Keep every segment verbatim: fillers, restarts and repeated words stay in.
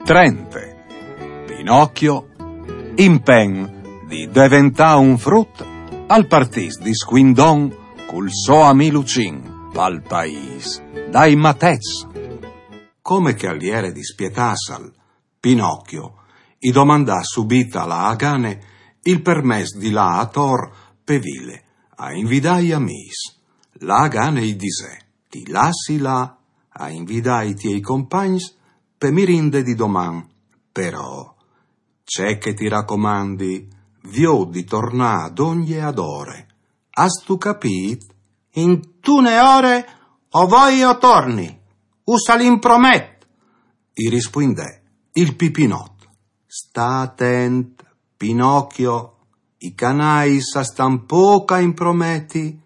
Trente. Pinocchio, impen di deventâ un frut, al partìs di scuindon cul so amì Lucin pal paîs dai matets. Come che al jere dispietâsal, Pinocchio i domandà subit a la agane il permès di lâ ator pe vile a invidâ i amîs. La agane i disè: «Ti lassi lâ a invidâ i tiei compagns pe mirinde di doman. Però, ce che ti racomandi, viôt di tornâ dongje adore. Âstu capît?» «Intune ore o voi o torni, us al impromet», i rispuindè il Pipinot. «Sta atent, Pinocchio, i canais a stan pôc a imprometi,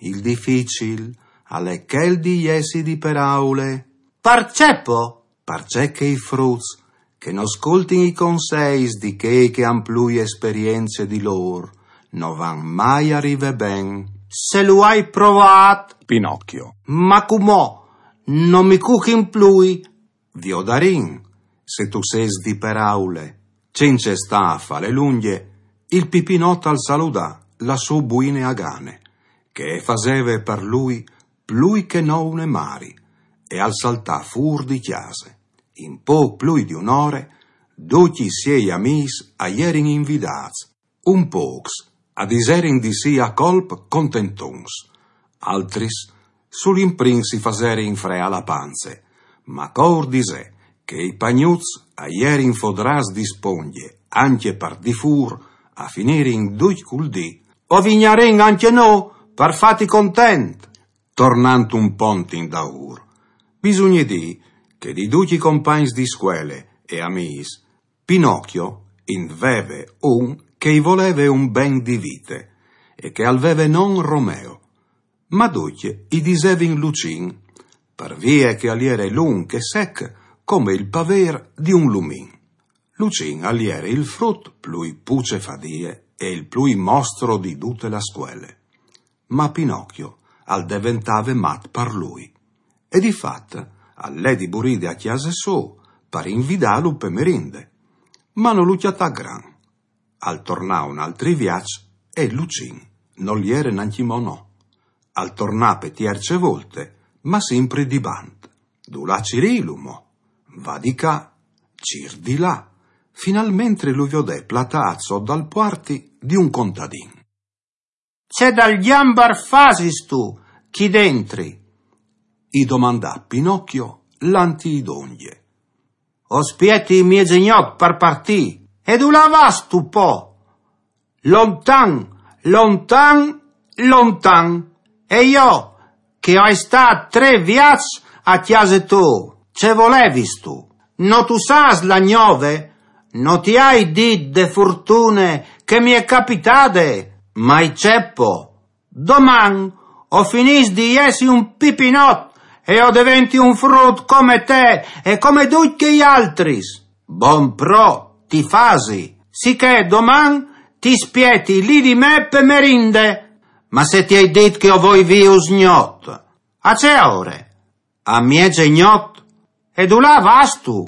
il dificil al è chel di jessi di peraule». «Parcè po?» «Parcè che i fruts che no scoltin i conseis di chei che a àn plui esperience di lôr no van mai a rivê ben». «Se lu ai provât, Pinocchio, ma cumò no mi cuchin plui». «Viodarìn se tu sês di peraule». Cence stâ a fâle lungje, il Pipinot al saludà la sô buine agane, che e faseve par lui plui che no une mari, e al saltà fûr di cjase. In pôc plui di une ore, ducj i siei amîs a jerin invidâts. Un pôcs a diserin di sì a colp contentons, altris sul imprin si faserin freâ la panze, ma cûr disè che i pagnuts a jerin fodrâts di spongje ancje par di fûr, a finirin ducj cul dî: «O vignarìn ancje nô par fâti content». Tornant un pont indaûr, bisugne dî che di ducj i compagns di scuele e amîs, Pinocchio in veve un che i voleve un ben di vite e che al veve non Romeo. Ma ducj i disevin Lucin, par vie che al jere lunc e sec come il pavêr di un lumin. Lucin al jere il frut plui pucefadie e il plui mostro di dute la scuele. Ma Pinocchio al deventave mat par lui. E di fat al lè di buride a cjase sô par invidâlu pe merinde. Ma no lu cjatà gran. Al tornà un altri viaç e Lucin nol jere nancjemò no. Al tornà pe tierce volte, ma simpri di bant. Dulà cirîlu mo? Va di ca, cîr di là. Finalmentri lu viodè platât sot dal puarti di un contadin. «Ce dal gjambar fasistu chi dentri?» i domandà Pinocchio, lant i dongje. «O spieti miezegnot par partî». «E dulà vastu po?» «Lontan, lontan, lontan. E jo, che o ai stât trê viaçs a cjase tô, ce volevistu? No tu sâs la gnove? No ti ai dit de furtune che mi è capitade?» «Ma i ce po? Doman o finìs di jessi un Pipinot e o deventi un frut come te e come ducj chei altris». «Bon, pro, ti fasi. Sichè doman ti spieti li di me pe merinde». «Ma se ti ai dit che o voi vîf usgnot?» «A ce ore?» «A miezegnot». «E dulà vastu?»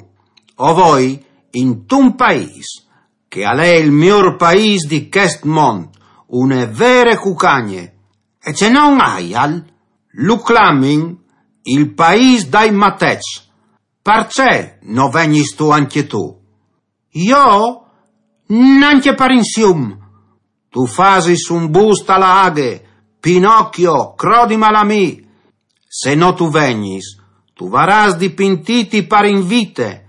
«O voi intun paîs, che al è il miôr paîs di chest mont, une vere cucagne. E ce non aial?» «Lu clamin il paîs dai matets. Parcè no vegnistu ancje tu?» «Jo? Nancje par insium». «Tu fasis un bust a la aghe, Pinocchio, crodimal a mi. Se no tu vegnis, tu varâs di pintîti par in vite.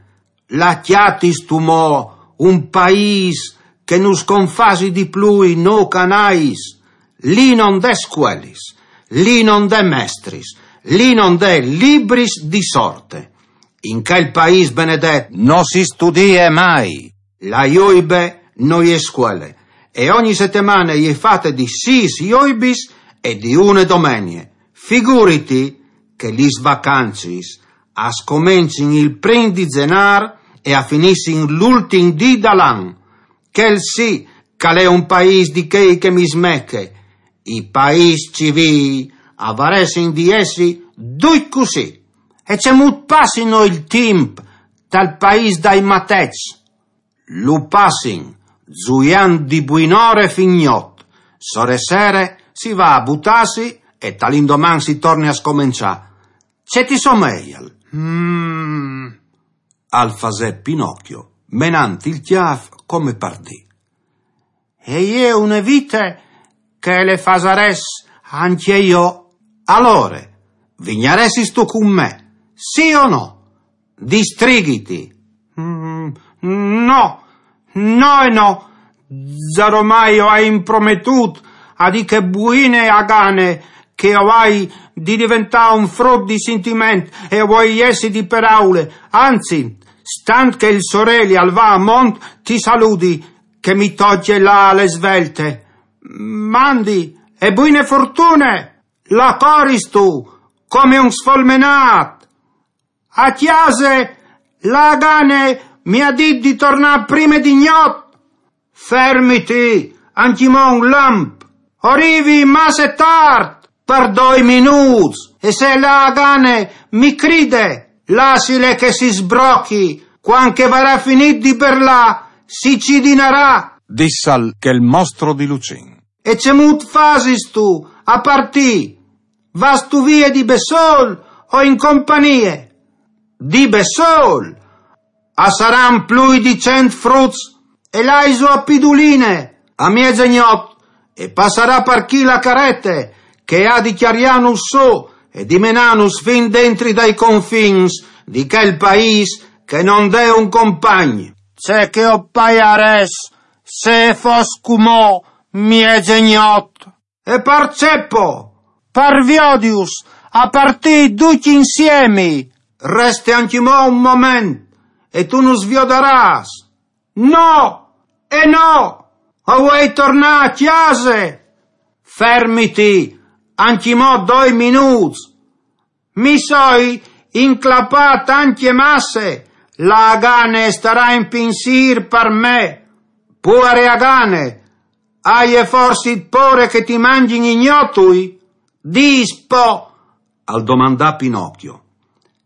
La cjatistu mo un paîs che nus confasi di plui nô canais? Li no 'nd è scuelis, li no 'nd è mestris, li no 'nd è libris di sorte. In chel paîs benedet no si studie mai. La joibe no je scuele, e ogni setemane e je fate di sîs joibis e di une domenie. Figuriti che lis vacancis a scomencin il prin di Zenâr e a finissin l'ultin dì dal an. Chel sì che al è un paîs di chei che mi smeche. I paîs civîi a varessin di jessi ducj cussì. E cemût passino il timp tal paîs dai matets. Lu passin zuiant di buinore fin gnot. Sore sere si va a butâsi e tal indoman si torne a scomençâ. Ce ti someial? Mm, al fasè Pinocchio, menant il cjâf come par dî: E je une vite che le fasarès ancje jo. Alore, vignaressistu cun me, sì o no? Distrighiti. Mm, no, no e no. Zaromai o ai imprometût a dì chê buine agane che o ai di deventâ un frut di sintiment e o vuei jessi di peraule. Anzit, stant che il soreli al va a mont, ti saludi, che mi tocje lâ a le svelte. Mandi, e buine fortune! La coristu come un sfolmenât. A cjase la agane mi à dit di tornâ prime di gnot. Fermiti, ancjemò un lamp. O rivi masse tart, par doi minûts, e se la agane mi cride, lassile che si sbrochi, cuant che varà finît di berlâ, si cidinarà. Dissal chel mostro di Lucin. E cemût fasistu a partî? Vastu vie di bessôl o in compagnie? Di bessôl! A saran plui di cent fruts e laisu a Piduline, a mieze gnot, e passarà par chi la carete, che e à di cjariânus sù e di menânus fin dentri dai confins di chel paîs che no 'nd è un compagn. Ce che o paiarès se e fos cumò mieze gnot! E parcè po? Par viodius a partî ducj insiemi. Reste ancjemò un moment e tu nus viodarâs. No e no! O vuei tornâ a cjase! Fermiti, ancjemò doi minûts. Mi soi inclapât ancje masse, la agane e starà in pinsîr par me. Puare agane, aie forsit pôre che ti mangjin i gnotui? Dîs po, al domandà Pinocchio,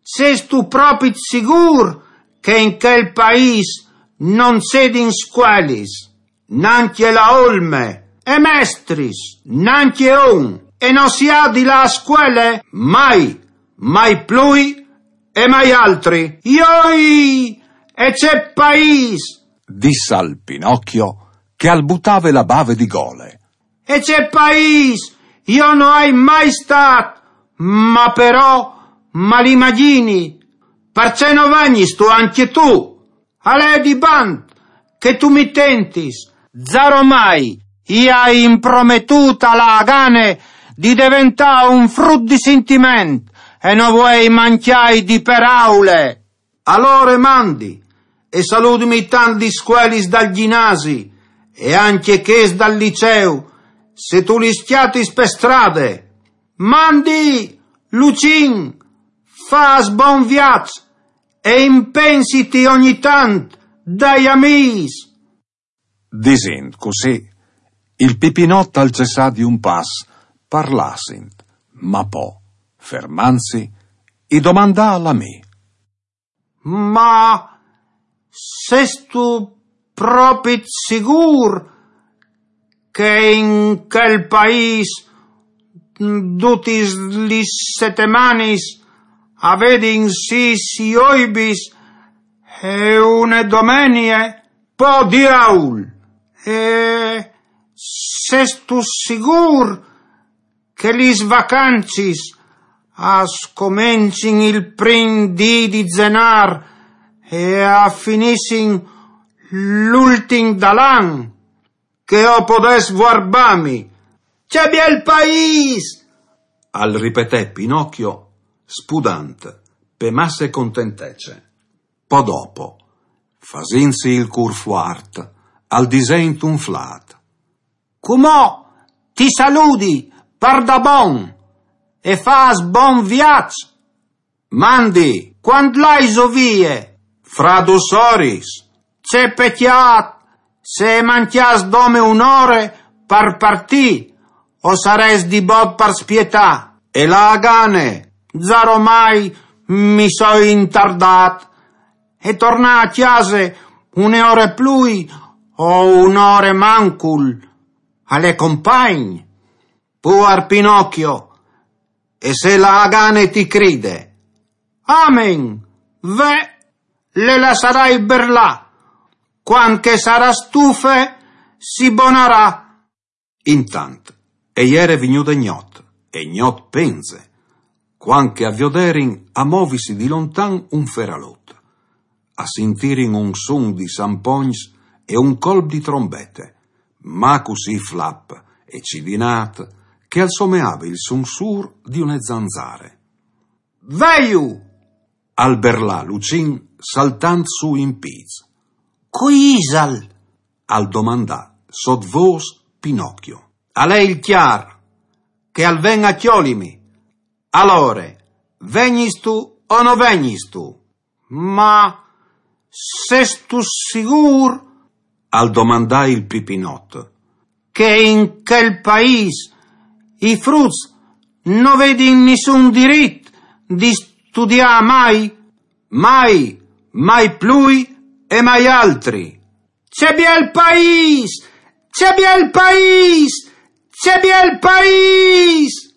sêstu propit sigûr che in chel paîs no 'nd sedin scuelis? Nancje la olme, e mestris, nancje un, e no si à di lâ a scuele mai, mai plui e mai altri. Joi! E ce paîs! Dissal Pinocchio, che al butave la bave di gole. E ce paîs! Jo no ai mai stât, ma però mal imagjini. Parcè no vegnistu ancje tu? Al è di bant che tu mi tentis. Zaromai i ai imprometût a la agane di deventâ un frut di sintiment e no vuei mancjâi di peraule. Alore mandi, e saludimi tant lis scuelis dal gjinasi e ancje chês dal liceu, se tu lis cjatis pe strade. Mandi, Lucin, fâs bon viaç e impensiti ogni tant dai amîs. Disint cussì, il Pipinot al cessà di un pas par lâsint, ma po, fermantsi, i domandà al amì: Ma sêstu propit sigûr che in chel paîs dutis lis setemanis a vedin sîs joibis e une domenie? Po diaul! E sêstu sigûr che lis vacancis a scomencin il prin dì di Zenâr e a finissin l'ultin dal an? Che o podès vuarbâmi. Ce biel paîs! Al ripetè Pinocchio, spudant, pe masse contentece. Po dopo, fasintsi il cûr fuart, al disè intun flât: Cumò ti saludi, pardabon, e fâs bon viaç. Mandi, cuant laiso vie? Fra dôs oris. Ce pecjât, se e mancjàs dome une ore par partî, o sarès di bot par spietâ. E la agane, zaromai mi soi intardât, e tornà a cjase une ore plui o une ore mancul, al è compagn. Puar Pinocchio, e se la à gane ti cride. Amen, ve le lassarai berlà, cuant che sarà stufe si bonarà. Intant, e jere vignude gnot, e gnot penze, cuant che a vioderin a movisi di lontan un feralot, a sintirin un sun di sampogns e un colp di trombete, ma cussì flap e cidinat che al someave il sunsur di une zanzare. Velu! Al berlà Lucin saltant su in piz. Cui isal? Al domandà sot vôs Pinocchio. Al è il cjar, che al ven a cjolimi. Alore, vegnistu o no vegnistu? Ma sestu sigûr? Al domandà il Pipinot. Che in chel paîs i fruts no vedin nissun dirit di studiâ mai, mai, mai plui e mai altri. Ce biel paîs! Ce biel paîs! Ce biel paîs!